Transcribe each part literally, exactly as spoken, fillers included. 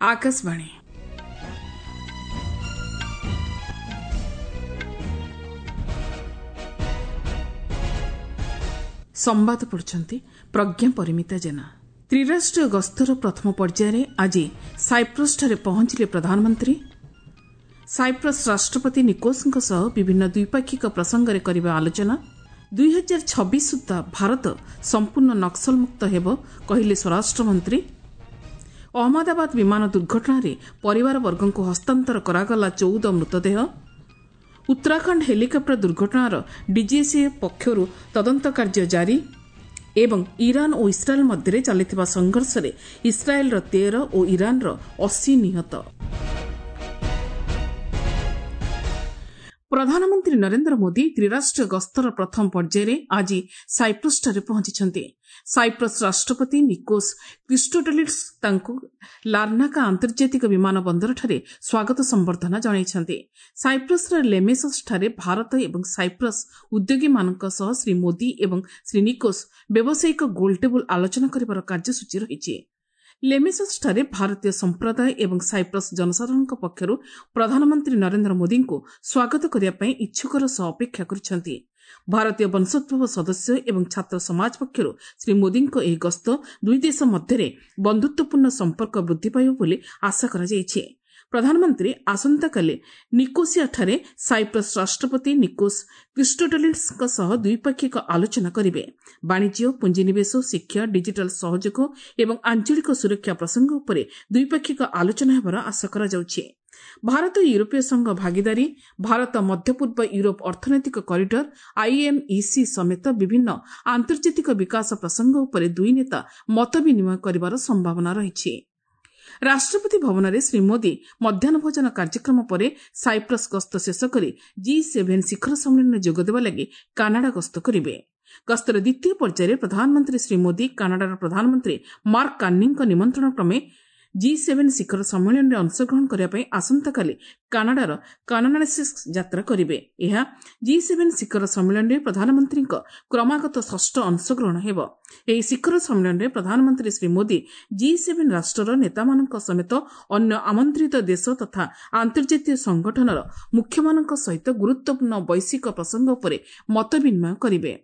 ଆକାଶବାଣୀ ସମ୍ବାଦ ପଢୁଛନ୍ତି ପ୍ରଜ୍ଞା ପରିମିତା ଜେନା। ତ୍ରିରାଷ୍ଟ୍ରୀୟ ଗସ୍ତର ପ୍ରଥମ ପର୍ଯ୍ୟାୟରେ ଆଜି ସାଇପ୍ରସ୍ଠାରେ ପହଞ୍ଚିଲେ ପ୍ରଧାନମନ୍ତ୍ରୀ। ସାଇପ୍ରସ୍ ରାଷ୍ଟ୍ରପତି ନିକୋସ୍ଙ୍କ ସହ ବିଭିନ୍ନ ଦ୍ୱିପାକ୍ଷିକ ପ୍ରସଙ୍ଗରେ କରିବେ ଆଲୋଚନା। ଦୁଇ ହଜାର ଛବିଶ ସୁଦ୍ଧା ଭାରତ ସମ୍ପୂର୍ଣ୍ଣ ନକ୍ସଲମୁକ୍ତ ହେବ, କହିଲେ ସ୍ୱରାଷ୍ଟ୍ରମନ୍ତ୍ରୀ। ଅହମ୍ମଦାବାଦ ବିମାନ ଦୁର୍ଘଟଣାରେ ପରିବାରବର୍ଗଙ୍କୁ ହସ୍ତାନ୍ତର କରାଗଲା ଚଉଦ ମୃତଦେହ। ଉତ୍ତରାଖଣ୍ଡ ହେଲିକପ୍ଟର ଦୁର୍ଘଟଣାର ଡିଜିସିଏ ପକ୍ଷରୁ ତଦନ୍ତ କାର୍ଯ୍ୟ ଜାରି ଏବଂ ଇରାନ୍ ଓ ଇସ୍ରାଏଲ୍ ମଧ୍ୟରେ ଚାଲିଥିବା ସଂଘର୍ଷରେ ଇସ୍ରାଏଲ୍ର ତେର ଓ ଇରାନ୍ର ଅଶୀ ନିହତ। ପ୍ରଧାନମନ୍ତ୍ରୀ ନରେନ୍ଦ୍ର ମୋଦି ତ୍ରିରାଷ୍ଟ୍ରୀୟ ଗସ୍ତର ପ୍ରଥମ ପର୍ଯ୍ୟାୟରେ ଆଜି ସାଇପ୍ରସ୍ଠାରେ ପହଞ୍ଚିଛନ୍ତି। ସାଇପ୍ରସ୍ ରାଷ୍ଟ୍ରପତି ନିକୋସ୍ କ୍ରିଷ୍ଟୋଡୋଲିଡ୍ସ ତାଙ୍କୁ ଲାର୍ନାକା ଆନ୍ତର୍ଜାତିକ ବିମାନ ବନ୍ଦରଠାରେ ସ୍ୱାଗତ ସମ୍ବର୍ଦ୍ଧନା ଜଣାଇଛନ୍ତି। ସାଇପ୍ରସ୍ର ଲେମେସସ୍ଠାରେ ଭାରତ ଏବଂ ସାଇପ୍ରସ୍ ଉଦ୍ୟୋଗୀମାନଙ୍କ ସହ ଶ୍ରୀ ମୋଦି ଏବଂ ଶ୍ରୀ ନିକୋସ୍ ବ୍ୟବସାୟିକ ଗୋଲଟେବୁଲ ଆଲୋଚନା କରିବାର କାର୍ଯ୍ୟସୂଚୀ ରହିଛି। ଲେମେସସ୍ଠାରେ ଭାରତୀୟ ସମ୍ପ୍ରଦାୟ ଏବଂ ସାଇପ୍ରସ୍ ଜନସାଧାରଣଙ୍କ ପକ୍ଷରୁ ପ୍ରଧାନମନ୍ତ୍ରୀ ନରେନ୍ଦ୍ର ମୋଦିଙ୍କୁ ସ୍ୱାଗତ କରିବା ପାଇଁ ଇଚ୍ଛୁକର ସହ ଅପେକ୍ଷା କରିଛନ୍ତି। ଭାରତୀୟ ବଂଶୋଦ୍ଭବ ସଦସ୍ୟ ଏବଂ ଛାତ୍ର ସମାଜ ପକ୍ଷରୁ ଶ୍ରୀ ମୋଦିଙ୍କ ଏହି ଗସ୍ତ ଦୁଇ ଦେଶ ମଧ୍ୟରେ ବନ୍ଧୁତ୍ୱପୂର୍ଣ୍ଣ ସମ୍ପର୍କ ବୃଦ୍ଧି ପାଇବ ବୋଲି ଆଶା କରାଯାଇଛି। ପ୍ରଧାନମନ୍ତ୍ରୀ ଆସନ୍ତାକାଲି ନିକୋସିଆଠାରେ ସାଇପ୍ରସ୍ ରାଷ୍ଟ୍ରପତି ନିକୋସ୍ କ୍ରିଷ୍ଟୋଡୋଲିଡ୍ସଙ୍କ ସହ ଦ୍ୱିପାକ୍ଷିକ ଆଲୋଚନା କରିବେ। ବାଣିଜ୍ୟ, ପୁଞ୍ଜିନିବେଶ, ଶିକ୍ଷା, ଡିଜିଟାଲ ସହଯୋଗ ଏବଂ ଆଞ୍ଚଳିକ ସୁରକ୍ଷା ପ୍ରସଙ୍ଗ ଉପରେ ଦ୍ୱିପାକ୍ଷିକ ଆଲୋଚନା ହେବାର ଆଶା କରାଯାଉଛି। ଭାରତ ୟୁରୋପୀୟ ସଂଘ ଭାଗିଦାରୀ, ଭାରତ ମଧ୍ୟପୂର୍ବ ୟୁରୋପ ଅର୍ଥନୈତିକ କରିଡର ଆଇଏମ୍ଇସି ସମେତ ବିଭିନ୍ନ ଆନ୍ତର୍ଜାତିକ ବିକାଶ ପ୍ରସଙ୍ଗ ଉପରେ ଦୁଇ ନେତା ମତ ବିନିମୟ କରିବାର ସମ୍ଭାବନା ରହିଛି। ରାଷ୍ଟ୍ରପତି ଭବନରେ ଶ୍ରୀ ମୋଦି ମଧ୍ୟାହ୍ନ ଭୋଜନ କାର୍ଯ୍ୟକ୍ରମ ପରେ ସାଇପ୍ରସ୍ ଗସ୍ତ ଶେଷ କରି ଜି ସେଭେନ୍ ଶିଖର ସମ୍ମିଳନୀରେ ଯୋଗଦେବା ଲାଗି କାନାଡା ଗସ୍ତ କରିବେ। ଗସ୍ତର ଦ୍ୱିତୀୟ ପର୍ଯ୍ୟାୟରେ ପ୍ରଧାନମନ୍ତ୍ରୀ ଶ୍ରୀ ମୋଦି କାନାଡାର ପ୍ରଧାନମନ୍ତ୍ରୀ ମାର୍କ କାର୍ଣ୍ଣିଙ୍କ ନିମନ୍ତ୍ରଣ କ୍ରମେ ଜି ସେଭେନ୍ ଶିଖର ସମ୍ମିଳନୀରେ ଅଂଶଗ୍ରହଣ କରିବା ପାଇଁ ଆସନ୍ତାକାଲି କାନାଡାର କାନାଡାସିସ୍ ଯାତ୍ରା କରିବେ। ଏହା ଜି ସେଭେନ୍ ଶିଖର ସମ୍ମିଳନୀରେ ପ୍ରଧାନମନ୍ତ୍ରୀଙ୍କ କ୍ରମାଗତ ଷଷ୍ଠ ଅଂଶଗ୍ରହଣ ହେବ। ଏହି ଶିଖର ସମ୍ମିଳନୀରେ ପ୍ରଧାନମନ୍ତ୍ରୀ ଶ୍ରୀ ମୋଦି ଜି ସେଭେନ୍ ରାଷ୍ଟ୍ରର ନେତାମାନଙ୍କ ସମେତ ଅନ୍ୟ ଆମନ୍ତ୍ରିତ ଦେଶ ତଥା ଆନ୍ତର୍ଜାତୀୟ ସଂଗଠନର ମୁଖ୍ୟମାନଙ୍କ ସହିତ ଗୁରୁତ୍ୱପୂର୍ଣ୍ଣ ବୈଶ୍ୱିକ ପ୍ରସଙ୍ଗ ଉପରେ ମତ ବିନିମୟ କରିବେ।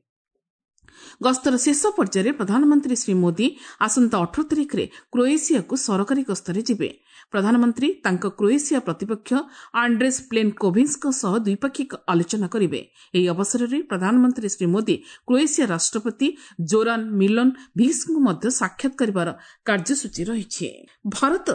ଗସ୍ତର ଶେଷ ପର୍ଯ୍ୟାୟରେ ପ୍ରଧାନମନ୍ତ୍ରୀ ଶ୍ରୀ ମୋଦି ଆସନ୍ତା ଅଠର ତାରିଖରେ କ୍ରୋଏସିଆକୁ ସରକାରୀ ଗସ୍ତରେ ଯିବେ। ପ୍ରଧାନମନ୍ତ୍ରୀ ତାଙ୍କ କ୍ରୋଏସିଆ ପ୍ରତିପକ୍ଷ ଆଣ୍ଡ୍ରେସ୍ ପ୍ଲେନକୋଭିନ୍ସଙ୍କ ସହ ଦ୍ୱିପାକ୍ଷିକ ଆଲୋଚନା କରିବେ। ଏହି ଅବସରରେ ପ୍ରଧାନମନ୍ତ୍ରୀ ଶ୍ରୀ ମୋଦି କ୍ରୋଏସିଆ ରାଷ୍ଟ୍ରପତି ଜୋରାନ୍ ମିଲନ୍ ଭିକ୍ସଙ୍କୁ ମଧ୍ୟ ସାକ୍ଷାତ କରିବାର କାର୍ଯ୍ୟସୂଚୀ ରହିଛି। ଭାରତ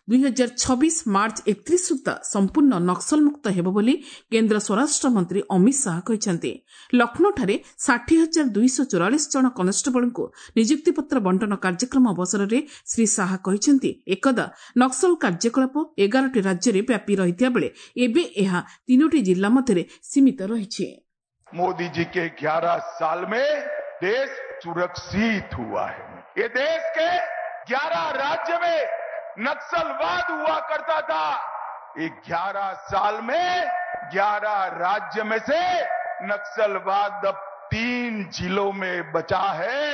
ଦୁଇ ହଜାର ଛବିଶ ମାର୍ଚ୍ଚ ଏକତ୍ରିଶ ସୁଦ୍ଧା ସମ୍ପୂର୍ଣ୍ଣ ନକ୍ସଲମୁକ୍ତ ହେବ ବୋଲି କେନ୍ଦ୍ର ସ୍ୱରାଷ୍ଟ୍ରମନ୍ତ୍ରୀ ଅମିତ ଶାହା କହିଛନ୍ତି। ଲକ୍ଷ୍ନୌଠାରେ ଷାଠିଏ ହଜାର ଦୁଇଶହ ଚଉରାଳିଶ ଜଣ କନେଷ୍ଟବଳଙ୍କୁ ନିଯୁକ୍ତିପତ୍ର ବଣ୍ଟନ କାର୍ଯ୍ୟକ୍ରମ ଅବସରରେ ଶ୍ରୀ ଶାହା କହିଛନ୍ତି, ଏକଦା ନକ୍ସଲ କାର୍ଯ୍ୟକଳାପ ଏଗାରଟି ରାଜ୍ୟରେ ବ୍ୟାପି ରହିଥିବା ବେଳେ ଏବେ ଏହା ତିନୋଟି ଜିଲ୍ଲା ମଧ୍ୟରେ ସୀମିତ ରହିଛି। मोदी जी के ग्यारह साल में देश सुरक्षित हुआ है। ये देश के ग्यारह राज्य में नक्सलवाद हुआ करता था, ये ग्यारह साल में ग्यारह राज्य में से नक्सलवाद अब तीन जिलों में बचा है।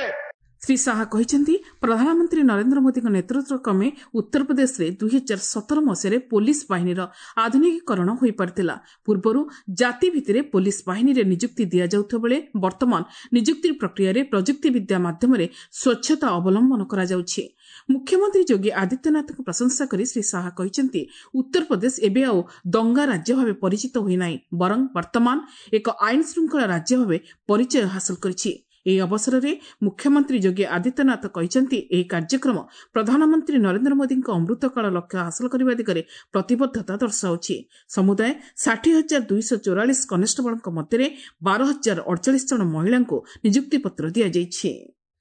ଶ୍ରୀ ଶାହା କହିଛନ୍ତି, ପ୍ରଧାନମନ୍ତ୍ରୀ ନରେନ୍ଦ୍ର ମୋଦିଙ୍କ ନେତୃତ୍ୱ କ୍ରମେ ଉତ୍ତରପ୍ରଦେଶରେ ଦୁଇ ହଜାର ସତର ମସିହାରେ ପୋଲିସ ବାହିନୀର ଆଧୁନିକୀକରଣ ହୋଇପାରିଥିଲା। ପୂର୍ବରୁ ଜାତି ଭିତ୍ତିରେ ପୋଲିସ ବାହିନୀରେ ନିଯୁକ୍ତି ଦିଆଯାଉଥିବା ବେଳେ ବର୍ତ୍ତମାନ ନିଯୁକ୍ତି ପ୍ରକ୍ରିୟାରେ ପ୍ରଯୁକ୍ତିବିଦ୍ୟା ମାଧ୍ୟମରେ ସ୍ୱଚ୍ଛତା ଅବଲମ୍ବନ କରାଯାଉଛି। ମୁଖ୍ୟମନ୍ତ୍ରୀ ଯୋଗୀ ଆଦିତ୍ୟନାଥଙ୍କୁ ପ୍ରଶଂସା କରି ଶ୍ରୀ ଶାହା କହିଛନ୍ତି, ଉତ୍ତରପ୍ରଦେଶ ଏବେ ଆଉ ଦଙ୍ଗା ରାଜ୍ୟ ଭାବେ ପରିଚିତ ହୋଇନାହିଁ, ବରଂ ବର୍ତ୍ତମାନ ଏକ ଆଇନ ଶୃଙ୍ଖଳା ରାଜ୍ୟ ଭାବେ ପରିଚୟ ହାସଲ କରିଛି। ଏହି ଅବସରରେ ମୁଖ୍ୟମନ୍ତ୍ରୀ ଯୋଗୀ ଆଦିତ୍ୟନାଥ କହିଛନ୍ତି, ଏହି କାର୍ଯ୍ୟକ୍ରମ ପ୍ରଧାନମନ୍ତ୍ରୀ ନରେନ୍ଦ୍ର ମୋଦିଙ୍କ ଅମୃତକାଳ ଲକ୍ଷ୍ୟ ହାସଲ କରିବା ଦିଗରେ ପ୍ରତିବଦ୍ଧତା ଦର୍ଶାଉଛି। ସମୁଦାୟ ଷାଠିଏ ହଜାର ଦୁଇଶହ ଚଉରାଳିଶ କନେଷ୍ଟବଳଙ୍କ ମଧ୍ୟରେ ବାର ହଜାର ଅଡ଼ଚାଳିଶ ଜଣ ମହିଳାଙ୍କୁ ନିଯୁକ୍ତିପତ୍ର ଦିଆଯାଇଛି।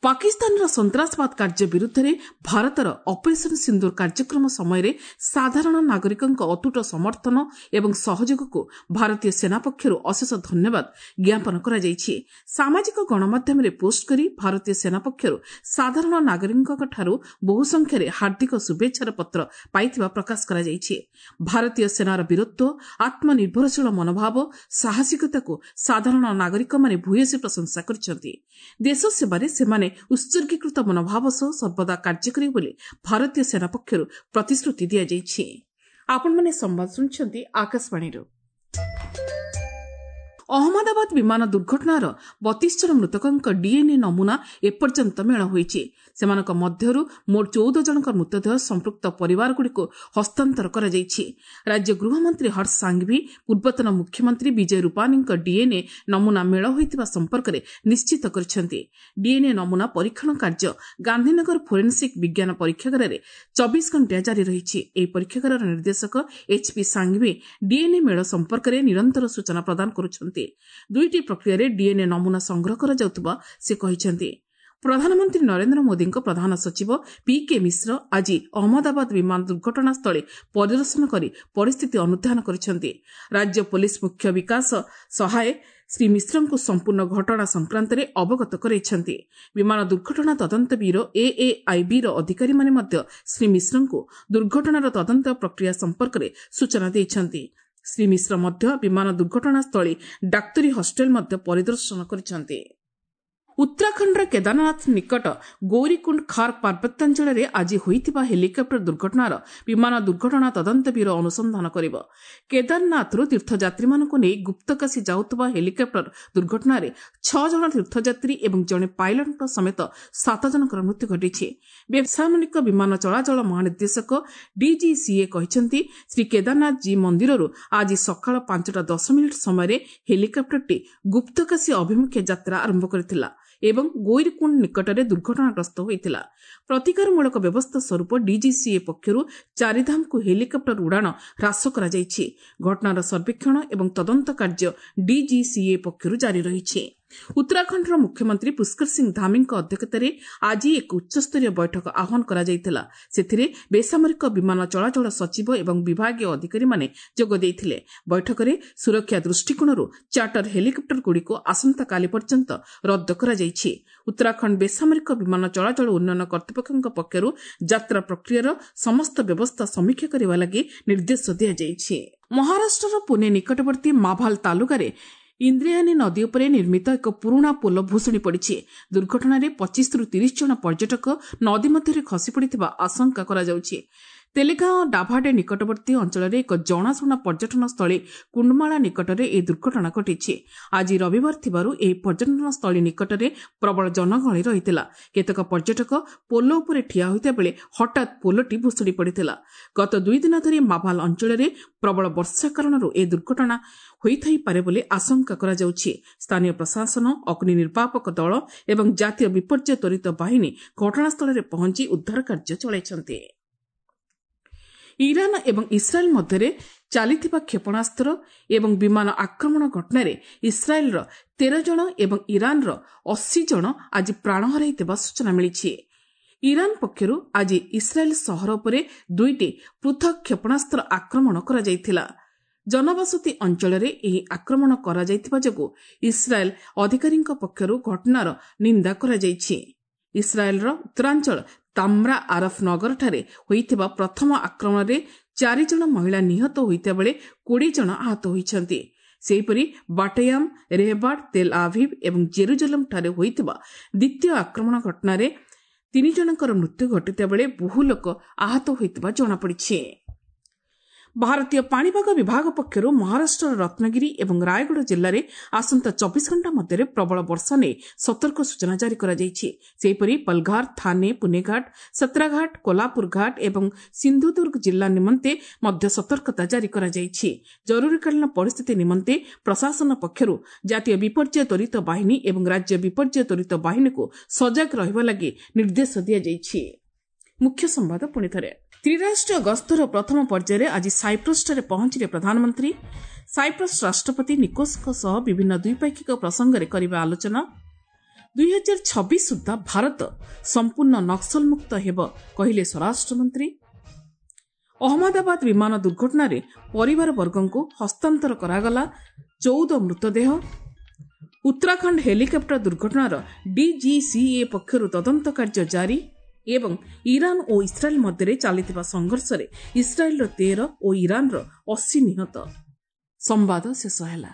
ପାକିସ୍ତାନର ସନ୍ତାସବାଦ କାର୍ଯ୍ୟ ବିରୁଦ୍ଧରେ ଭାରତର ଅପରେସନ ସିନ୍ଦୁର କାର୍ଯ୍ୟକ୍ରମ ସମୟରେ ସାଧାରଣ ନାଗରିକଙ୍କ ଅତୁଟ ସମର୍ଥନ ଏବଂ ସହଯୋଗକୁ ଭାରତୀୟ ସେନା ପକ୍ଷରୁ ଅଶେଷ ଧନ୍ୟବାଦ ଜ୍ଞାପନ କରାଯାଇଛି। ସାମାଜିକ ଗଣମାଧ୍ୟମରେ ପୋଷ୍ଟ କରି ଭାରତୀୟ ସେନା ପକ୍ଷରୁ ସାଧାରଣ ନାଗରିକଙ୍କଠାରୁ ବହୁ ସଂଖ୍ୟାରେ ହାର୍ଦ୍ଦିକ ଶୁଭେଚ୍ଛାର ପତ୍ର ପାଇଥିବା ପ୍ରକାଶ କରାଯାଇଛି। ଭାରତୀୟ ସେନାର ବୀରତ୍ୱ, ଆତ୍ମନିର୍ଭରଶୀଳ ମନୋଭାବ, ସାହସିକତାକୁ ସାଧାରଣ ନାଗରିକମାନେ ଭୂୟସୀ ପ୍ରଶଂସା କରିଛନ୍ତି। ଦେଶ ସେବାରେ ସେମାନେ ସେମାନେ ଉତ୍ସର୍ଗୀକୃତ ମନୋଭାବ ସହ ସର୍ବଦା କାର୍ଯ୍ୟ କରିବେ ବୋଲି ଭାରତୀୟ ସେନା ପକ୍ଷରୁ ପ୍ରତିଶ୍ରୁତି ଦିଆଯାଇଛି। ଆପଣମାନେ ସମ୍ବାଦ ଶୁଣୁଛନ୍ତି ଆକାଶବାଣୀରୁ। ଅହମ୍ମଦାବାଦ ବିମାନ ଦୁର୍ଘଟଣାର ବତିଶ ଜଣ ମୃତକଙ୍କ ଡିଏନ୍ଏ ନମୁନା ଏପର୍ଯ୍ୟନ୍ତ ମେଳ ହୋଇଛି। ସେମାନଙ୍କ ମଧ୍ୟରୁ ମୋଟ ଚଉଦ ଜଣଙ୍କ ମୃତଦେହ ସମ୍ପୃକ୍ତ ପରିବାରଗୁଡ଼ିକୁ ହସ୍ତାନ୍ତର କରାଯାଇଛି। ରାଜ୍ୟ ଗୃହମନ୍ତ୍ରୀ ହର୍ଷ ସାଙ୍ଘଭି ପୂର୍ବତନ ମୁଖ୍ୟମନ୍ତ୍ରୀ ବିଜୟ ରୂପାନୀଙ୍କ ଡିଏନ୍ଏ ନମୁନା ମେଳ ହୋଇଥିବା ସମ୍ପର୍କରେ ନିଶ୍ଚିତ କରିଛନ୍ତି। ଡିଏନ୍ଏ ନମୁନା ପରୀକ୍ଷଣ କାର୍ଯ୍ୟ ଗାନ୍ଧୀନଗର ଫୋରେନ୍ସିକ୍ ବିଜ୍ଞାନ ପରୀକ୍ଷାଗାରରେ ଚବିଶ ଘଣ୍ଟିଆ ଜାରି ରହିଛି। ଏହି ପରୀକ୍ଷାଗାରର ନିର୍ଦ୍ଦେଶକ ଏଚ୍ପି ସାଙ୍ଘଭି ଡିଏନ୍ଏ ମେଳ ସମ୍ପର୍କରେ ନିରନ୍ତର ସୂଚନା ପ୍ରଦାନ କରୁଛନ୍ତି। ଦୁଇଟି ପ୍ରକ୍ରିୟାରେ ଡିଏନ୍ଏ ନମୁନା ସଂଗ୍ରହ କରାଯାଉଥିବା ସେ କହିଛନ୍ତି। ପ୍ରଧାନମନ୍ତ୍ରୀ ନରେନ୍ଦ୍ର ମୋଦିଙ୍କ ପ୍ରଧାନ ସଚିବ ପି କେ ମିଶ୍ର ଆଜି ଅହମ୍ମଦାବାଦ ବିମାନ ଦୁର୍ଘଟଣାସ୍ଥଳୀ ପରିଦର୍ଶନ କରି ପରିସ୍ଥିତି ଅନୁଧ୍ୟାନ କରିଛନ୍ତି। ରାଜ୍ୟ ପୋଲିସ ମୁଖ୍ୟ ବିକାଶ ସହାୟ ଶ୍ରୀ ମିଶ୍ରଙ୍କୁ ସମ୍ପୂର୍ଣ୍ଣ ଘଟଣା ସଂକ୍ରାନ୍ତରେ ଅବଗତ କରାଇଛନ୍ତି। ବିମାନ ଦୁର୍ଘଟଣା ତଦନ୍ତ ବ୍ୟୁରୋ ଏଏଆଇବିର ଅଧିକାରୀମାନେ ମଧ୍ୟ ଶ୍ରୀ ମିଶ୍ରଙ୍କୁ ଦୁର୍ଘଟଣାର ତଦନ୍ତ ପ୍ରକ୍ରିୟା ସମ୍ପର୍କରେ ସୂଚନା ଦେଇଛନ୍ତି। ଶ୍ରୀ ମିଶ୍ର ମଧ୍ୟ ବିମାନ ଦୁର୍ଘଟଣାସ୍ଥଳୀ ଡାକ୍ତରୀ ହଷ୍ଟେଲ ମଧ୍ୟ ପରିଦର୍ଶନ କରିଛନ୍ତି। ଉତ୍ତରାଖଣ୍ଡର କେଦାରନାଥ ନିକଟ ଗୌରୀକୁଣ୍ଡ ଖାର୍ଗ ପାର୍ବତ୍ୟାଞ୍ଚଳରେ ଆଜି ହୋଇଥିବା ହେଲିକପ୍ଟର ଦୁର୍ଘଟଣାର ବିମାନ ଦୁର୍ଘଟଣା ତଦନ୍ତ ବ୍ୟୁରୋ ଅନୁସନ୍ଧାନ କରିବ। କେଦାରନାଥରୁ ତୀର୍ଥଯାତ୍ରୀମାନଙ୍କୁ ନେଇ ଗୁପ୍ତକାଶୀ ଯାଉଥିବା ହେଲିକପ୍ଟର ଦୁର୍ଘଟଣାରେ ଛଅ ଜଣ ତୀର୍ଥଯାତ୍ରୀ ଏବଂ ଜଣେ ପାଇଲଟଙ୍କ ସମେତ ସାତ ଜଣଙ୍କର ମୃତ୍ୟୁ ଘଟିଛି। ବେସାମରିକ ବିମାନ ଚଳାଚଳ ମହାନିର୍ଦ୍ଦେଶକ ଡିଜିସିଏ କହିଛନ୍ତି, ଶ୍ରୀ କେଦାରନାଥ ଜୀ ମନ୍ଦିରରୁ ଆଜି ସକାଳ ପାଞ୍ଚଟା ଦଶ ମିନିଟ୍ ସମୟରେ ହେଲିକପ୍ଟରଟି ଗୁପ୍ତକାଶୀ ଅଭିମୁଖେ ଯାତ୍ରା ଆରମ୍ଭ କରିଥିଲା ଏବଂ ଗୌରୀକୁଣ୍ଡ ନିକଟରେ ଦୁର୍ଘଟଣାଗ୍ରସ୍ତ ହୋଇଥିଲା। ପ୍ରତିକାରମୂଳକ ବ୍ୟବସ୍ଥା ସ୍ୱରୂପ ଡିଜିସିଏ ପକ୍ଷରୁ ଚାରିଧାମକୁ ହେଲିକପ୍ଟର ଉଡ଼ାଣ ହ୍ରାସ କରାଯାଇଛି। ଘଟଣାର ସର୍ବେକ୍ଷଣ ଏବଂ ତଦନ୍ତ କାର୍ଯ୍ୟ ଡିଜିସିଏ ପକ୍ଷରୁ ଜାରି ରହିଛି। ଉତ୍ତରାଖଣ୍ଡର ମୁଖ୍ୟମନ୍ତ୍ରୀ ପୁଷ୍କର ସିଂ ଧାମୀଙ୍କ ଅଧ୍ୟକ୍ଷତାରେ ଆଜି ଏକ ଉଚ୍ଚସ୍ତରୀୟ ବୈଠକ ଆହ୍ୱାନ କରାଯାଇଥିଲା। ସେଥିରେ ବେସାମରିକ ବିମାନ ଚଳାଚଳ ସଚିବ ଏବଂ ବିଭାଗୀୟ ଅଧିକାରୀମାନେ ଯୋଗ ଦେଇଥିଲେ। ବୈଠକରେ ସୁରକ୍ଷା ଦୃଷ୍ଟିକୋଣରୁ ଚାର୍ଟର ହେଲିକପ୍ଟରଗୁଡ଼ିକୁ ଆସନ୍ତାକାଲି ପର୍ଯ୍ୟନ୍ତ ରଦ୍ଦ କରାଯାଇଛି। ଉତ୍ତରାଖଣ୍ଡ ବେସାମରିକ ବିମାନ ଚଳାଚଳ ଉନ୍ନୟନ କର୍ତ୍ତୃପକ୍ଷଙ୍କ ପକ୍ଷରୁ ଯାତ୍ରା ପ୍ରକ୍ରିୟାର ସମସ୍ତ ବ୍ୟବସ୍ଥା ସମୀକ୍ଷା କରିବା ଲାଗି ନିର୍ଦ୍ଦେଶ ଦିଆଯାଇଛି। ମହାରାଷ୍ଟ୍ରର ପୁନେ ନିକଟବର୍ତ୍ତୀ ମାଭାଲ ତାଲୁକାରେ ଇନ୍ଦ୍ରାୟଣୀ ନଦୀ ଉପରେ ନିର୍ମିତ ଏକ ପୁରୁଣା ପୋଲ ଭୁଶୁଡ଼ି ପଡ଼ିଛି। ଦୁର୍ଘଟଣାରେ ପଚିଶରୁ ତିରିଶ ଜଣ ପର୍ଯ୍ୟଟକ ନଦୀ ମଧ୍ୟରେ ଖସିପଡ଼ିଥିବା ଆଶଙ୍କା କରାଯାଉଛି। ତେଲେଗାଁ ଡାଭାଡେ ନିକଟବର୍ତ୍ତୀ ଅଞ୍ଚଳରେ ଏକ ଜଣାଶୁଣା ପର୍ଯ୍ୟଟନ ସ୍ଥଳୀ କୁଣ୍ଡମାଳା ନିକଟରେ ଏହି ଦୁର୍ଘଟଣା ଘଟିଛି। ଆଜି ରବିବାର ଥିବାରୁ ଏହି ପର୍ଯ୍ୟଟନ ସ୍ଥଳୀ ନିକଟରେ ପ୍ରବଳ ଜନଗହଳି ରହିଥିଲା। କେତେକ ପର୍ଯ୍ୟଟକ ପୋଲ ଉପରେ ଠିଆ ହୋଇଥିବା ବେଳେ ହଠାତ୍ ପୋଲଟି ଭୁଶୁଡ଼ି ପଡ଼ିଥିଲା। ଗତ ଦୁଇ ଦିନ ଧରି ମାଭାଲ ଅଞ୍ଚଳରେ ପ୍ରବଳ ବର୍ଷା କାରଣରୁ ଏହି ଦୁର୍ଘଟଣା ହୋଇଥାଇପାରେ ବୋଲି ଆଶଙ୍କା କରାଯାଉଛି। ସ୍ଥାନୀୟ ପ୍ରଶାସନ, ଅଗ୍ନି ନିର୍ବାପକ ଦଳ ଏବଂ ଜାତୀୟ ବିପର୍ଯ୍ୟୟ ତ୍ୱରିତ ବାହିନୀ ଘଟଣାସ୍ଥଳରେ ପହଞ୍ଚି ଉଦ୍ଧାର କାର୍ଯ୍ୟ ଚଳାଇଛନ୍ତି। ଇରାନ ଏବଂ ଇସ୍ରାଏଲ୍ ମଧ୍ୟରେ ଚାଲିଥିବା କ୍ଷେପଣାସ୍ତ୍ର ଏବଂ ବିମାନ ଆକ୍ରମଣ ଘଟଣାରେ ଇସ୍ରାଏଲ୍ର ତେର ଜଣ ଏବଂ ଇରାନର ଅଶୀ ଜଣ ଆଜି ପ୍ରାଣ ହରାଇଥିବା ସୂଚନା ମିଳିଛି। ଇରାନ ପକ୍ଷରୁ ଆଜି ଇସ୍ରାଏଲ୍ ସହର ଉପରେ ଦୁଇଟି ପୃଥକ୍ କ୍ଷେପଣାସ୍ତ୍ର ଆକ୍ରମଣ କରାଯାଇଥିଲା। ଜନବସତି ଅଞ୍ଚଳରେ ଏହି ଆକ୍ରମଣ କରାଯାଇଥିବା ଯୋଗୁଁ ଇସ୍ରାଏଲ୍ ଅଧିକାରୀଙ୍କ ପକ୍ଷରୁ ଘଟଣାର ନିନ୍ଦା କରାଯାଇଛି। ଇସ୍ରାଏଲ୍ର ଉତ୍ତରାଞ୍ଚଳ ତାମ୍ରା ଆରଫ ନଗରଠାରେ ହୋଇଥିବା ପ୍ରଥମ ଆକ୍ରମଣରେ ଚାରିଜଣ ମହିଳା ନିହତ ହୋଇଥିବା ବେଳେ କୋଡ଼ିଏ ଜଣ ଆହତ ହୋଇଛନ୍ତି। ସେହିପରି ବାଟୟାମ, ରେହବାଡ, ତେଲ ଆଭିଭ୍ ଏବଂ ଜେରୁଜେଲମ୍ଠାରେ ହୋଇଥିବା ଦ୍ୱିତୀୟ ଆକ୍ରମଣ ଘଟଣାରେ ତିନି ଜଣଙ୍କର ମୃତ୍ୟୁ ଘଟିଥିବା ବେଳେ ବହୁ ଲୋକ ଆହତ ହୋଇଥିବା ଜଣାପଡ଼ିଛି। ଭାରତୀୟ ପାଣିପାଗ ବିଭାଗ ପକ୍ଷରୁ ମହାରାଷ୍ଟ୍ରର ରତ୍ନଗିରି ଏବଂ ରାୟଗଡ଼ ଜିଲ୍ଲାରେ ଆସନ୍ତା ଚବିଶ ଘଣ୍ଟା ମଧ୍ୟରେ ପ୍ରବଳ ବର୍ଷା ନେଇ ସତର୍କ ସୂଚନା ଜାରି କରାଯାଇଛି। ସେହିପରି ପଲଘାର, ଥାନେ, ପୁନେଘାଟ, ସତ୍ରାଘାଟ, କୋଲାପୁର ଘାଟ ଏବଂ ସିନ୍ଧୁଦୁର୍ଗ ଜିଲ୍ଲା ନିମନ୍ତେ ମଧ୍ୟ ସତର୍କତା ଜାରି କରାଯାଇଛି। ଜରୁରୀକାଳୀନ ପରିସ୍ଥିତି ନିମନ୍ତେ ପ୍ରଶାସନ ପକ୍ଷରୁ ଜାତୀୟ ବିପର୍ଯ୍ୟୟ ତ୍ୱରିତ ବାହିନୀ ଏବଂ ରାଜ୍ୟ ବିପର୍ଯ୍ୟୟ ତ୍ୱରିତ ବାହିନୀକୁ ସଜାଗ ରହିବା ଲାଗି ନିର୍ଦ୍ଦେଶ ଦିଆଯାଇଛି। ମୁଖ୍ୟ ସମ୍ବାଦ ପୁଣିଥରେ। ତ୍ରିରାଷ୍ଟ୍ରୀୟ ଗସ୍ତର ପ୍ରଥମ ପର୍ଯ୍ୟାୟରେ ଆଜି ସାଇପ୍ରସଠାରେ ପହଞ୍ଚିଲେ ପ୍ରଧାନମନ୍ତ୍ରୀ। ସାଇପ୍ରସ ରାଷ୍ଟ୍ରପତି ନିକୋସଙ୍କ ସହ ବିଭିନ୍ନ ଦ୍ୱିପାକ୍ଷିକ ପ୍ରସଙ୍ଗରେ କରିବେ ଆଲୋଚନା। ଦୁଇ ହଜାର ଛବିଶ ସୁଦ୍ଧା ଭାରତ ସମ୍ପୂର୍ଣ୍ଣ ନକ୍ସଲମୁକ୍ତ ହେବ କହିଲେ ସ୍ୱରାଷ୍ଟ୍ରମନ୍ତ୍ରୀ। ଅହମ୍ମଦାବାଦ ବିମାନ ଦୁର୍ଘଟଣାରେ ପରିବାରବର୍ଗଙ୍କୁ ହସ୍ତାନ୍ତର କରାଗଲା ଚଉଦ ମୃତଦେହ। ଉତ୍ତରାଖଣ୍ଡ ହେଲିକପ୍ଟର ଦୁର୍ଘଟଣାର ଡିଜିସିଏ ପକ୍ଷରୁ ତଦନ୍ତ କାର୍ଯ୍ୟ ଜାରି ଏବଂ ଇରାନ ଓ ଇସ୍ରାଏଲ୍ ମଧ୍ୟରେ ଚାଲିଥିବା ସଂଘର୍ଷରେ ଇସ୍ରାଏଲ୍ର ତେର ଓ ଇରାନର ଅଶୀ ନିହତ। ସମ୍ବାଦ ଶେଷ ହେଲା।